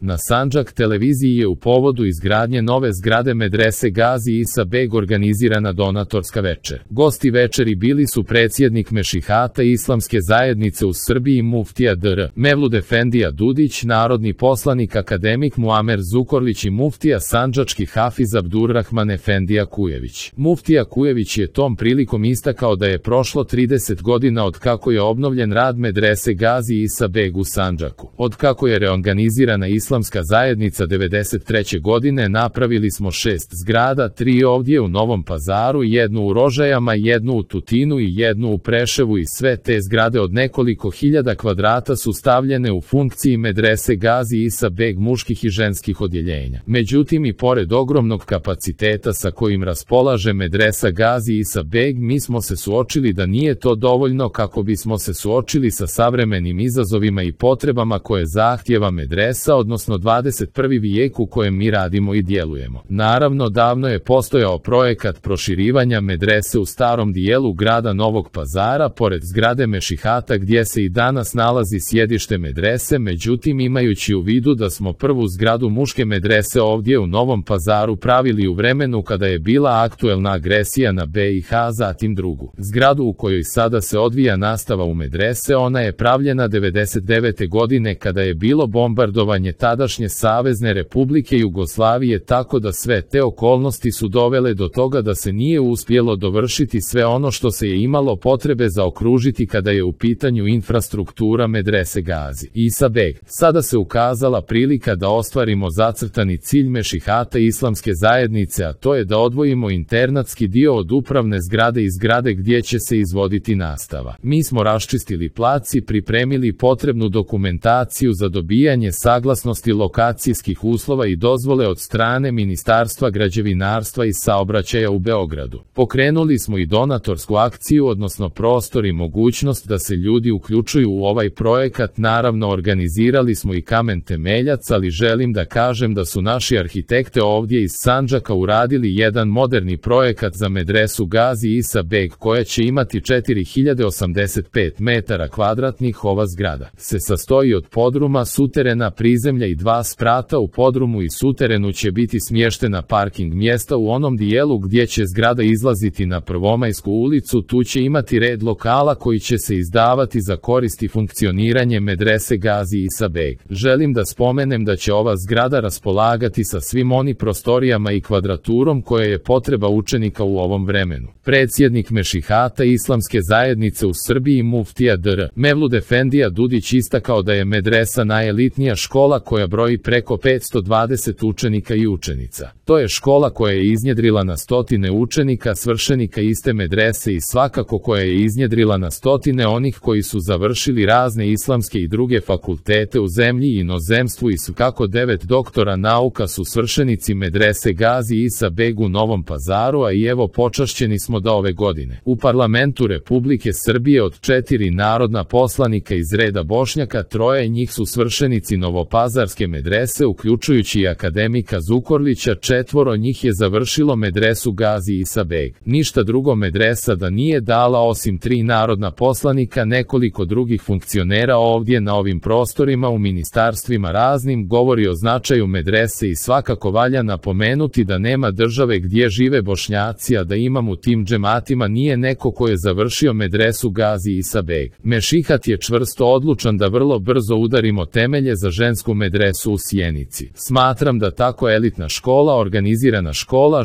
Na Sandžak televiziji je u povodu izgradnje nove zgrade medrese Gazi Isa Beg organizirana donatorska večer. Gosti večeri bili su predsjednik Mešihata Islamske zajednice u Srbiji muftija dr. Mevlud Efendija Dudić, narodni poslanik akademik Muamer Zukorlić i muftija sandžački hafiz Abdurrahman Efendija Kujević. Muftija Kujević je tom prilikom istakao da je prošlo 30 godina od kako je obnovljen rad medrese Gazi Isa Beg u Sandžaku. Od kako je reorganizirana Islamska zajednica 93. godine napravili smo 6 zgrada, 3 ovdje u Novom Pazaru, 1 u Rožajama, 1 u Tutinu i 1 u Preševu i sve te zgrade od nekoliko hiljada kvadrata su stavljene u funkciji medrese Gazi Isa Beg muških i ženskih odjeljenja. Međutim, i pored ogromnog kapaciteta sa kojim raspolaže medresa Gazi Isa Beg, mi smo se suočili da nije to dovoljno kako bismo se suočili sa savremenim izazovima i potrebama koje zahtijeva medresa, odnosno 21. vijek u kojem mi radimo i djelujemo. Naravno, davno je postojao projekat proširivanja medrese u starom dijelu grada Novog Pazara, pored zgrade Mešihata gdje se i danas nalazi sjedište medrese, međutim imajući u vidu da smo prvu zgradu muške medrese ovdje u Novom Pazaru pravili u vremenu kada je bila aktuelna agresija na BiH, zatim drugu zgradu u kojoj sada se odvija nastava u medrese, ona je pravljena 99. godine kada je bilo bombardovanje tadašnje Savezne Republike Jugoslavije, tako da sve te okolnosti su dovele do toga da se nije uspjelo dovršiti sve ono što se je imalo potrebe zaokružiti kada je u pitanju infrastruktura medrese Gazi Isa Beg. Sada se ukazala prilika da ostvarimo zacrtani cilj Mešihata Islamske zajednice, a to je da odvojimo internatski dio od upravne zgrade i zgrade gdje će se izvoditi nastava. Mi smo raščistili plac i pripremili potrebnu dokumentaciju za dobijanje saglasnosti lokacijskih uslova i dozvole od strane Ministarstva građevinarstva i saobraćaja u Beogradu. Pokrenuli smo i donatorsku akciju, odnosno prostor i mogućnost da se ljudi uključuju u ovaj projekat. Naravno, organizirali smo i kamen temeljac, ali želim da kažem da su naši arhitekte ovdje iz Sandžaka uradili jedan moderni projekat za medresu Gazi Isa Beg koja će imati 4085 metara kvadratnih. Ova zgrada se sastoji od podruma, suterena, prizemlja i 2 sprata. U podrumu i suterenu će biti smještena parking mjesta. U onom dijelu gdje će zgrada izlaziti na Prvomajsku ulicu, tu će imati red lokala koji će se izdavati za korist i funkcioniranje medrese Gazi Isa Beg. Želim da spomenem da će ova zgrada raspolagati sa svim onim prostorijama i kvadraturom koja je potreba učenika u ovom vremenu. Predsjednik Mešihata Islamske zajednice u Srbiji muftija dr. Mevlud Efendija Dudić istakao da je medresa najelitnija škola koja broji preko 520 učenika i učenica. To je škola koja je iznjedrila na stotine učenika, svršenika iste medrese i svakako koja je iznjedrila na stotine onih koji su završili razne islamske i druge fakultete u zemlji i inozemstvu i svakako 9 doktora nauka su svršenici medrese Gazi Isa Beg u Novom Pazaru, a i evo počašćeni smo da ove godine u parlamentu Republike Srbije od 4 narodna poslanika iz reda Bošnjaka 3 njih su svršenici novopazarske medrese, uključujući i akademika Zukorlića. 4 njih je završilo medresu Gazi Isa Beg. Ništa drugo medresa da nije dala osim 3 narodna poslanika, nekoliko drugih funkcionera ovdje na ovim prostorima u ministarstvima raznim, govori o značaju medrese i svakako valja napomenuti da nema države gdje žive Bošnjaci, a da imam u tim džematima nije neko ko je završio medresu Gazi Isa Beg. Mešihat je čvrsto odlučan da vrlo brzo udarimo temelje za žensku medresu u Sjenici. Smatram da tako elitna škola, organizirana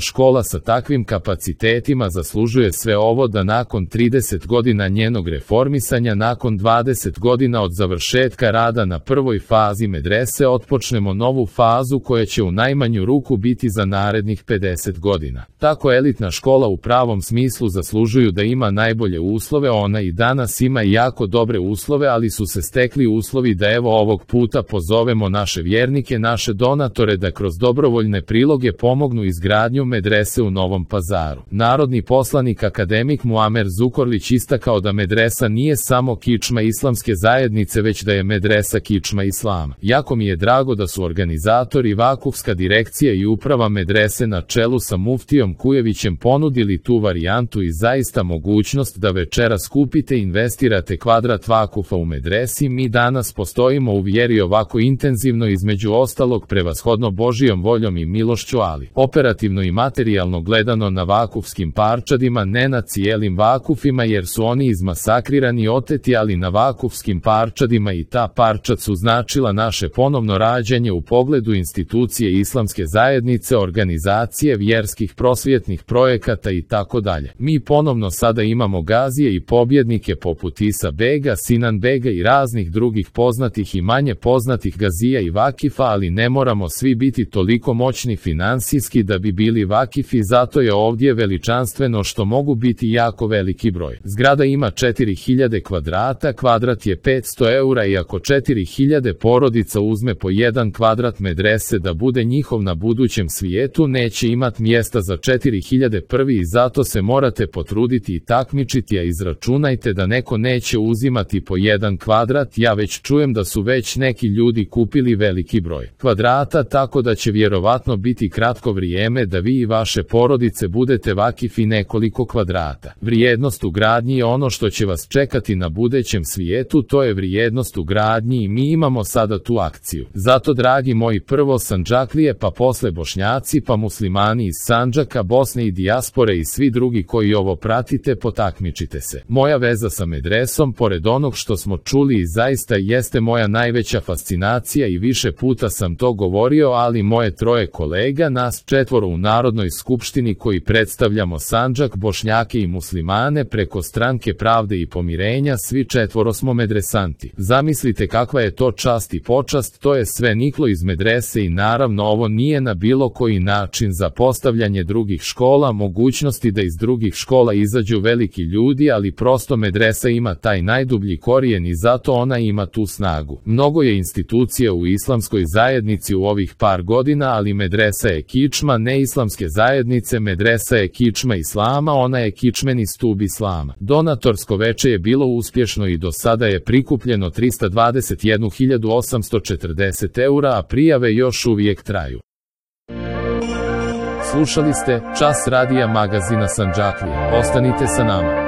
škola sa takvim kapacitetima zaslužuje sve ovo, da nakon 30 godina njenog reformisanja, nakon 20 godina od završetka rada na prvoj fazi medrese otpočnemo novu fazu koja će u najmanju ruku biti za narednih 50 godina. Tako elitna škola u pravom smislu zaslužuju da ima najbolje uslove, ona i danas ima jako dobre uslove, ali su se stekli uslovi da evo ovog puta pozovemo naše vjernike, naše donatore da kroz dobrovoljne priloge pomognu izgradnju medrese u Novom Pazaru. Narodni poslanik akademik Muamer Zukorlić istakao da medresa nije samo kičma Islamske zajednice, već da je medresa kičma Islama. Jako mi je drago da su organizatori, vakufska direkcija i uprava medrese na čelu sa muftijom Kujevićem ponudili tu varijantu i zaista mogućnost da večeras kupite i investirate kvadrat vakufa u medresi. Mi danas postojimo u vjeri ovako intenzivno subjektivno između ostalog prevashodno Božijom voljom i milošću, ali operativno i materijalno gledano na vakufskim parčadima, ne na cijelim vakufima jer su oni izmasakrirani i oteti, ali na vakufskim parčadima i ta parčad su značila naše ponovno rađanje u pogledu institucije islamske zajednice, organizacije, vjerskih prosvjetnih projekata i tako dalje. Mi ponovno sada imamo gazije i pobjednike poput Isa Bega, Sinan Bega i raznih drugih poznatih i manje poznatih gazija i vakifa, ali ne moramo svi biti toliko moćni finansijski da bi bili vakifi, zato je ovdje veličanstveno što mogu biti jako veliki broj. Zgrada ima 4000 kvadrata, kvadrat je 500 eura i ako 4000 porodica uzme po 1 kvadrat medrese da bude njihov na budućem svijetu, neće imat mjesta za 4000 prvi i zato se morate potruditi i takmičiti, a izračunajte da neko neće uzimati po 1 kvadrat, ja već čujem da su već neki ljudi kupili veliki broj kvadrata, tako da će vjerovatno biti kratko vrijeme da vi i vaše porodice budete vakifi nekoliko kvadrata. Vrijednost u gradnji je ono što će vas čekati na budućem svijetu, to je vrijednost u gradnji i mi imamo sada tu akciju. Zato dragi moji, prvo Sandžaklije, pa posle Bošnjaci, pa muslimani iz Sandžaka, Bosne i dijaspore i svi drugi koji ovo pratite, potakmičite se. Moja veza sa medresom, pored onog što smo čuli, i zaista jeste moja najveća fascinacija i više puta sam to govorio, ali moje 3 kolega, nas 4 u Narodnoj skupštini koji predstavljamo Sandžak, Bošnjake i muslimane preko Stranke pravde i pomirenja, svi 4 smo medresanti. Zamislite kakva je to čast i počast, to je sve niklo iz medrese i naravno ovo nije na bilo koji način za postavljanje drugih škola, mogućnosti da iz drugih škola izađu veliki ljudi, ali prosto medresa ima taj najdublji korijen i zato ona ima tu snagu. Mnogo je institucija u islamskoj zajednici u ovih par godina, ali medresa je kičma neislamske zajednice, medresa je kičma islama, ona je kičmeni stub islama. Donatorsko veče je bilo uspješno i do sada je prikupljeno 321.840 eura, a prijave još uvijek traju. Slušali ste Čas radija magazina Sandžaklije. Ostanite sa nama.